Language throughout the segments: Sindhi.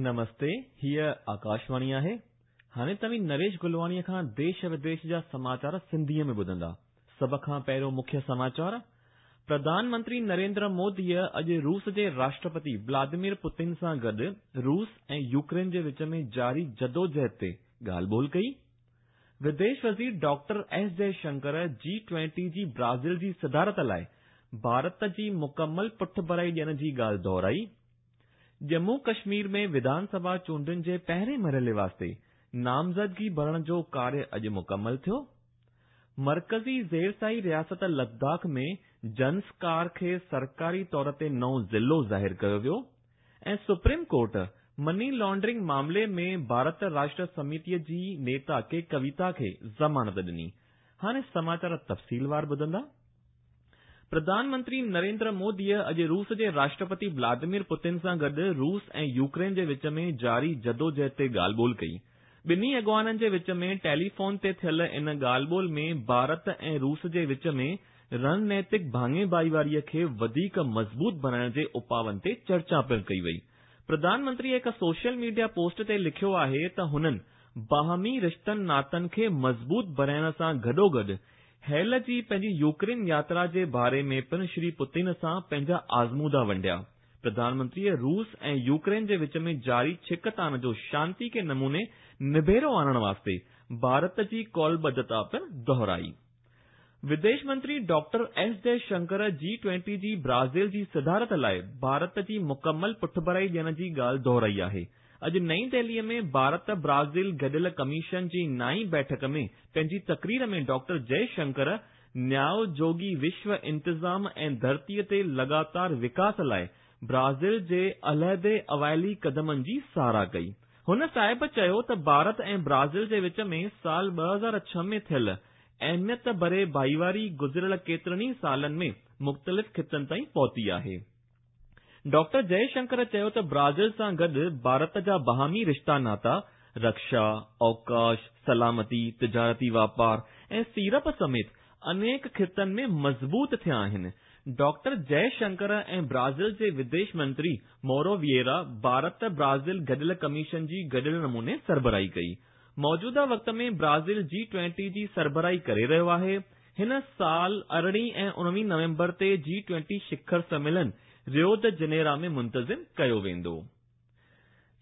نمستي، هيء آڪاشواڻي آهي. هاڻي توهين نريش گلواڻيء کان ديش وديش جا سماچار سنڌيء ۾ ٻڌندا. سڀ کان پهريون مکيه سماچار، پرڌان منتري نريندر موديء اڄ روس جي راشٽرپتي ولاديمير پوتن سان گڏ روس ۽ يوڪرين جي وچ ۾ جاري جدوجهد تي ڳالهه ٻولهه ڪئي. وديش وزير ڊاڪٽر ايس جئه شنڪر جي ٽوئنٽي جي برازيل جي صدارت لاء ڀارت جي مڪمل پٺڀرائي ڏيڻ جي ڳالهه دهرائي. ڄمون ڪشمير ۾ وڌان سڀا چونڊن جي پهرين مرحلي واسطي نامزدگي ڀرڻ جو ڪاريه اڄ مڪمل ٿيو. مرڪزي زيرساحي رياست لداخ ۾ زنسڪار کي سرڪاري طور تي نئون ضلعو ظاهر ڪيو ويو ۽ سپريم ڪورٽ مني لانڊرنگ معاملي ۾ ڀارت راشٽر سميتيء جي نيتا ڪي ڪويتا کي ضمانت ڏني. هاڻي سماچار تفصيلوار ٻڌندا. پرڌان منتري نريندر موديء اڄ روس جي راشٽرپتي ولاديمير پوتن سان گڏ روس ۽ يوڪرين جي وچ ۾ جاري جدوجهد تي ڳالهه ٻولهه ڪئي. ٻنهي اڳواڻن جي وچ ۾ ٽيليفون تي ٿيل ان ڳالهه ٻولهه ۾ ڀارت ۽ روس جي وچ ۾ رڻنيتڪ ڀاڱي ڀائيواريء کي وڌيڪ مضبوط بڻائڻ جي اپاون تي چرچا پڻ ڪئي وئي. پرڌان منتري هڪ سوشل ميڊيا پوسٽ تي لکيو آهي ته هنن باهمي رشتن ناتن کي مضبوط بڻائڻ سان گڏوگڏ هيل جي پنهنجي يوڪرين ياترا جي باري ۾ پڻ شري پوتن سان پنهنجا آزمودا ونڊيا. پرڌان منتريء روس ۽ يوڪرين جي وچ ۾ جاري ڇڪتاڻ جو شانتي ڪي نموني نبيرو آڻڻ واسطي ڀارت جي قولبڌتا پڻ دهرائي. وديش منتري ڊاڪٽر ايس جئه شنڪر جي ٽوئنٽي جي برازيل جي صدارت لاء ڀارت جي مڪمل پٺڀرائي ڏيڻ جي ڳالهه دهرائي آهي. اڄ نئين دهليء ۾ ڀارت برازيل گڏيل ڪميشن جي نائين بيٺڪ ۾ پنهنجي تقرير ۾ ڊاڪٽر جئه شنڪر نياء جوڳي وشو انتظام ۽ ڌرتيء تي لڳاتار وڪاس لاء برازيل جي علحدي اوائلي قدمن جي ساراهه ڪئي. هن صاحب چيو ته ڀارت ۽ برازيل جي وچ ۾ سال 2006 ۾ ٿيل اهميت ڀري ڀائيواري گذريل ڪيترن ئي سالن ۾ مختلف خطن تائين پهتي آهي. ڊاڪٽر جئه شنڪر چيو ته برازيل سان گڏ ڀارت جا باهمي رشتا ناتا رڪشا، اوڪاش، سلامتي، تجارتي واپار ۽ سيڙپ سميت انيڪ خطن ۾ مضبوط ٿيا آهن. ڊاڪٽر جئه شنڪر ۽ برازيل جي وديش منتري مورو ويئرا ڀارت برازيل گڏيل ڪميشن جي گڏيل نموني سربراهي ڪئي. موجوده وقت ۾ برازيل جي ٽوئنٽي جي سربراهي ڪري رهيو آهي. هن سال ارڙهين ۽ اڻويهين نومبر تي جي ٽوئنٽي شکر سميلن ريو د جنيرا ۾ منتظم ڪيو ويندو.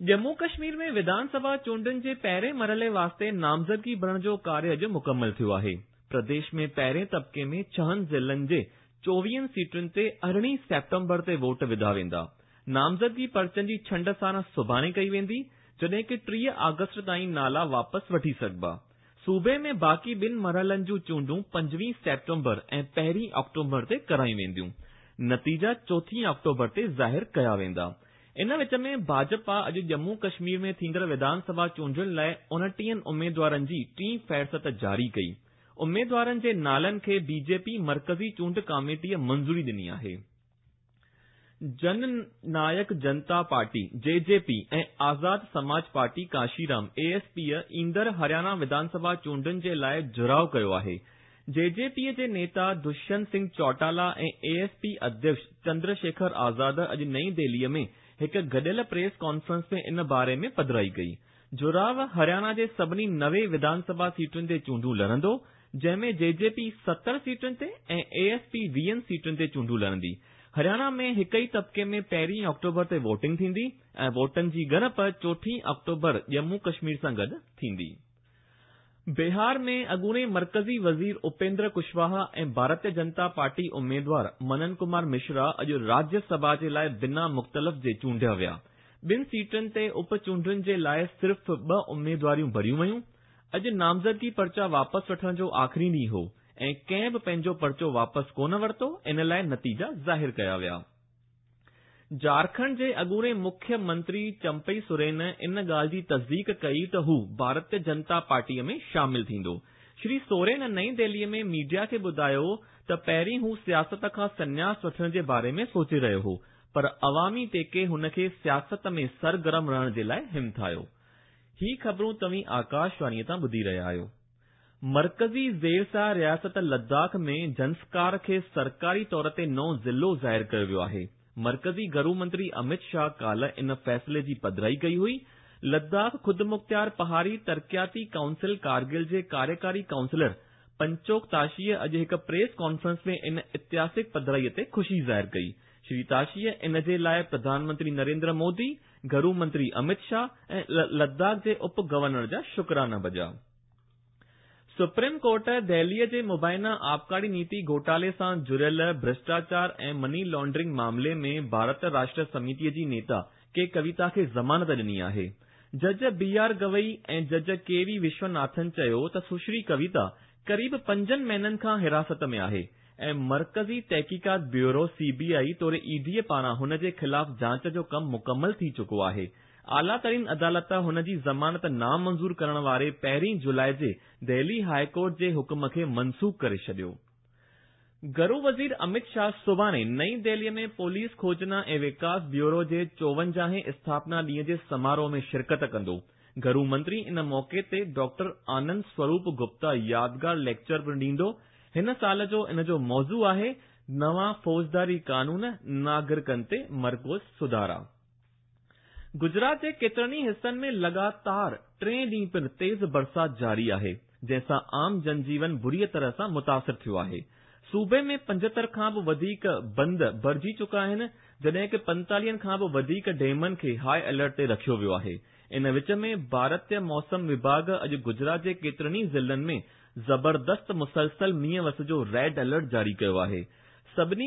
ڄمون ڪشمير ۾ وڌان سڀا چونڊن جي پهرين مرحلي واسطي نامزدگي ڀرڻ جو ڪاريه اڄ مڪمل ٿيو آهي. پرديش ۾ پهرين طبقي ۾ ڇهن ضلعن جي چوويهن سيٽن تي ارڙهين سيپٽمبر تي ووٽ وڌا ويندا. نامزدگي پرچن جي ڇنڊ ساڻ سڀاڻي ڪئي ويندي، جڏهن ڪه 30 آگسٽ تائين نالا واپس وٺي سگهبا. صوبي ۾ باقي ٻن مرحلن جون چونڊون 25 سيپٽمبر ۽ پهرين آڪٽوبر تي ڪرايون وينديون. نتيجا چوٿين آڪٽوبر تي ظاهر ڪيا ويندا. ان وچ ۾ ڀاجپا اڄ ڄمون ڪشمير ۾ ٿيندڙ وڌان سڀا چونڊن لاء 29 اميدوارن جي ٽين فهرست جاري ڪئي. اميدوارن جي نالن کي بي جي پي مرڪزي چونڊ ڪاميٽيء منظوري ڏني آهي. جن نايڪ جنتا پارٽي، جي جي پي، ۽ آزاد سماج پارٽي ڪانشيرام، اي ايس پي، ايندڙ هرياڻا وڌان سڀا چونڊن جي لاء جهراء ڪيو آهي. جي جي پي جي نيتا دشينت سنگهه چوٽالا ۽ اي ايس پي اڌيڪش چندر شيکر آزاد اڄ نئين دهليء ۾ هڪ گڏيل پريس ڪانفرنس ۾ ان باري ۾ پڌرائي ڪئي. جهراء هرياڻا جي سڀني 90 وڌان سڀا سيٽن تي چونڊون لڙندو، جنهن ۾ جي جي پي 70 سيٽن تي ۽ اي ايس پي 20 سيٽن تي چونڊون لڙندي. هرياڻا ۾ هڪ ئي طبقي ۾ پهرين آڪٽوبر تي ووٽنگ ٿيندي ۽ ووٽن جي ڳڻپ چوٿين آڪٽوبر ڄمون ڪشمير سان گڏ ٿيندي. بهار ۾ اڳوڻي مرڪزي وزير اپيندر ڪشواها ۽ ڀارتيه جنتا پارٽي اميدوار منن ڪمار مشرا اڄ راجيه سڀا جي لاء بنا مختلف جي چونڊيا ويا. ٻن سيٽن تي اپ چونڊن جي لاء صرف ٻه اميدواريون ڀريون ويون. اڄ نامزدگي پرچا واپس وٺڻ جو آخري ڏينهن هو ۽ ڪنهن به پنهنجو پرچو واپس ڪونه ورتو، ان لاء نتيجا ظاهر ڪيا ويا. جهارکنڊ جي اڳوڻي مکيه منتري چمپئي سورين ان ڳالهه جي تصديق ڪئي ته هو ڀارتيه جنتا پارٽيء ۾ شامل ٿيندو. شري سورين نئين دهليء ۾ ميڊيا کي ٻڌايو ته پهرين هو سياست کان سنياس وٺڻ جي باري ۾ سوچي رهيو هو پر عوامي ٽيڪي هن کي سياست ۾ سرگرم رهڻ جي لاء همٿايو. هي خبرون توهين آڪاشواڻيء تان ٻڌي رهيا آهيو. مرڪزي زيرساهه رياست لداخ ۾ زنسڪار کي سرڪاري طور تي نئون ضلعو ظاهر ڪيو ويو آهي. مرڪزي گهرو منتري امت شاهه ڪالهه ان فيصلي جي پڌرائي ڪئي هئي. لداخ خودمختيار پهاڙي ترقياتي ڪائونسل ڪارگل جي ڪاريڪاري ڪائونسلر پنچوڪ تاشيء اڄ هڪ پريس ڪانفرنس ۾ ان اتهاسڪ پڌرائي تي خوشي ظاهر ڪئي. شري تاشيء ان جي لاء پرڌان منتري نريندر مودي، گهرو منتري امت شاهه ۽ لداخ جي اپ گورنر جا شڪرانا بجا. سپريم ڪورٽ دهليء جي مبينا آبڪاري نيتي گهوٽالي سان جڙيل ڀرشٽاچار ۽ مني لانڊرنگ معاملي ۾ ڀارت راشٽر سميتيء جي نيتا ڪي ڪويتا کي ضمانت ڏني آهي. جج بي آر گوئي ۽ جج ڪي وي وشوناٿن چيو ته سشري ڪويتا قريب پنجن مهينن کان حراست ۾ آهي ۽ مرڪزي تحقيقات بيورو، سي بي آء، توڙي اي ڊي پاران هن جي خلاف جاچ جو ڪم مڪمل ٿي چڪو آهي. اعليٰ ترين عدالت هن جي ضمانت نامنظور ڪرڻ واري پهرين جولاء جي دهلي هاء ڪورٽ جي حڪم کي منسوخ ڪري ڇڏيو. گهرو وزير امت شاهه سڀاڻي نئين دهليء ۾ پوليس کوجنا ۽ وڪاس بيورو جي چوونجاهين اسٿاپنا ڏينهن جي سماروهه ۾ شرڪت ڪندو. گهرو منتري ان موقعي تي ڊاڪٽر آنند سوروپ گپتا يادگار ليڪچر پڻ ڏيندو. هن سال جو ان جو موضوع آهي، نوان فوجداري قانون، ناگرڪن تي مرڪوز سڌارا. گجرات جي ڪيترن ئي حصن ۾ لڳاتار ٽئين ڏينهن پڻ تيز برسات جاري آهي، جنهن سان عام جنجيون بريء طرح سان متاثر ٿيو آهي. صوبي ۾ 75 کان به وڌيڪ بند ڀرجي چڪا آهن، جڏهن ڪه 45 کان به وڌيڪ ڊيمن کي هاء الرٽ تي رکيو ويو آهي. ان وچ ۾ ڀارتي موسم وڀاڳ اڄ گجرات جي ڪيترن ئي ضلعن ۾ زبردست مسلسل مينهن وس جو ريڊ الرٽ جاري ڪيو آهي. سڀني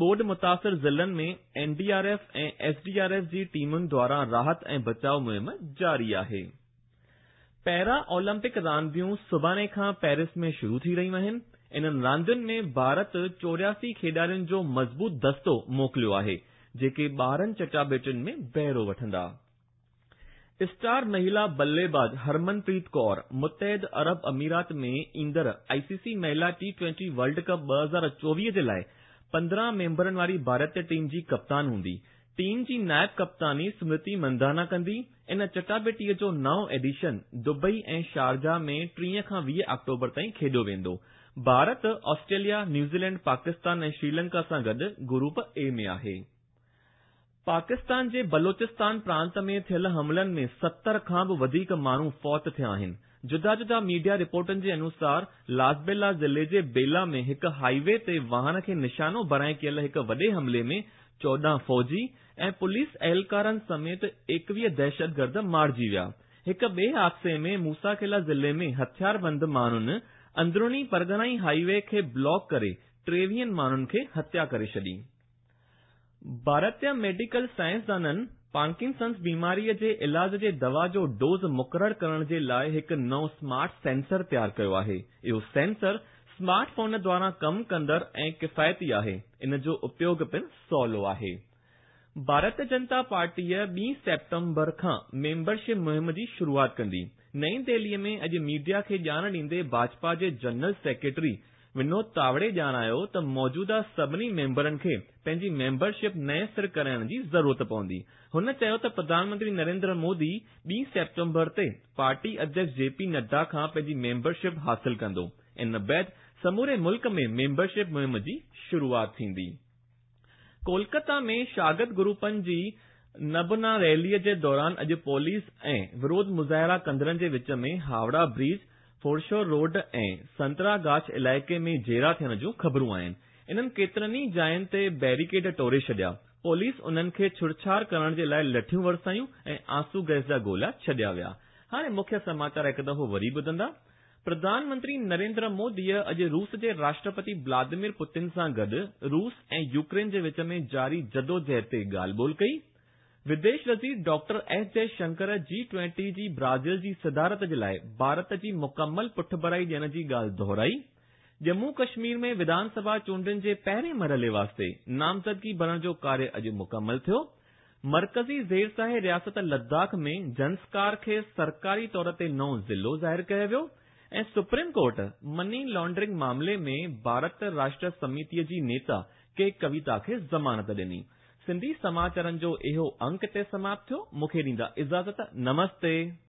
ٻوڏ متاثر ضلعن ۾ N D R F ۽ S D R F جي ٽيمن دواران راحت ۽ بچاء مهم جاري آهي. پيرا اولمپڪ رانديون سڀاڻي کان پيرس ۾ شروع ٿي رهيون آهن. انهن راندين ۾ ڀارت 84 کيڏارين جو مضبوط دستو موڪليو آهي، جيڪي 12 چٽاڀيٽين ۾ بهرو وٺندا. اسٽار مهلا بلي باز هرمن پريت ڪور متحد عرب اميرات ۾ ايندڙ آء سي سي مهلا ٽي ٽوئنٽي ورلڊ ڪپ 2024 جي لاء 15 ميمبرن واري ڀارتي ٽيم جي ڪپتان هوندي. ٽيم جي نائب ڪپتاني سمرتي مندانا ڪندي. ان چٽاڀيٽي جو نئون ايڊيشن دبئي ۽ شارجه ۾ 30 کان 20 آڪٽوبر تائين کيڏيو ويندو. ڀارت آسٽريليا، نيوزيلينڊ، پاڪستان ۽ سريلنڪا سان گڏ گروپ اي ۾ آهي. پاڪستان جي بلوچستان پرانت ۾ ٿيل حملن ۾ 70 کان به وڌيڪ ماڻهو فوت ٿيا آهن. جدا جدا ميڊيا رپورٽن جي انوسار لاسبيلا ضلعي جي بيلا ۾ هڪ هائي وي تي واهن کي نشانو بڻائي ڪيل هڪ وڏي حملي ۾ 14 فوجي ۽ پوليس اهلڪارن سميت 21 دهشتگرد مارجي ويا. هڪ ٻئي حادثي ۾ موسيٰ خيلا ضلعي ۾ هٿياربند ماڻهن اندروني پرڳڻائي هائي وي کي بلاڪ ڪري 23 ماڻهن کي هتيا ڪري ڇڏي. ڀارتي ميڊيڪل سائنسدانن پارڪنسنز بيماري جي علاج جي دوا جو ڊوز مقرر ڪرڻ جي لاء هڪ نئون سمارٽ سينسر تيار ڪيو آهي. اهو سينسر سمارٽ فون دواران ڪم ڪندڙ ۽ ڪفايتي آهي. ان جو اپيوگ پڻ سولو آهي. ڀارتي جنتا پارٽيء ٻي سيپٽمبر کان ميمبرشپ مهم جي شروعات ڪندي. نئين دهلي ۾ اڄ ميڊيا کي ڄاڻ ڏيندي ڀاجپا جي جنرل سيڪريٽري ونود تاوڙي ڄاڻايو ته موجوده سڀني ميمبرن کي پنهنجي ميمبرشپ نئين سر ڪرائڻ جي ضرورت پوندي. هن چيو ته پرڌان منتري نريندر مودي ٻي سيپٽمبر تي پارٽي اڌيڪش جي پي نڊا کان پنهنجي ميمبرشپ حاصل ڪندو. ان بعد سموري ملڪ ۾ ميمبرشپ مهم جي شروعات ٿيندي. ڪولڪتا ۾ شاگرد گروپن جي نبنا ريلي جي دوران اڄ پوليس ۽ وروڌ مظاهرا ڪندڙن جي وچ ۾ هاوڙا برج، فورشور روڊ ۽ سنترا گاڇ علائقي ۾ جهيڙا ٿيڻ جون خبرون آهن. انهن ڪيترن ئي جاين تي بيريڪيڊ ٽوڙي ڇڏيا. پوليس انهن کي ڇڙڇاڙ ڪرڻ جي لاء لٺيون ورسايون ۽ آنسو گئس جا گولا ڇڏيا ويا. هاڻي مکيه سماچار هڪ دفعو وري ٻڌندا. پرڌان منتري نريندر موديء اڄ روس جي راشٽرپتي ولاديمير پوتن سان گڏ روس ۽ يوڪرين جي وچ ۾ جاري جدوجهد تي ڳالهه ٻولهه ڪئي. وديش وزير ڊاڪٽر ايس جئه شنڪر جي ٽوئنٽي جي برازيل جي صدارت جي لاء ڀارت جي مڪمل پٺڀرائي ڏيڻ جي ڳالهه دهرائي. ڄمون ڪشمير ۾ وڌان سڀا چونڊن جي پهرين مرحلي واسطي نامزدگي ڀرڻ جو ڪاريه اڄ مڪمل ٿيو. مرڪزي زيرساهي رياست لداخ ۾ زنسڪار کي سرڪاري طور تي نئون ضلعو ظاهر ڪيو ويو ۽ سپريم ڪورٽ مني لانڊرنگ معاملي ۾ ڀارت راشٽر سميتي جي نيتا ڪي ڪويتا کي ضمانت ڏني. سنڌي سماچارن جو اهو انڪ هتي سماپت ٿيو. مون کي ڏيندا اجازت. نمستي.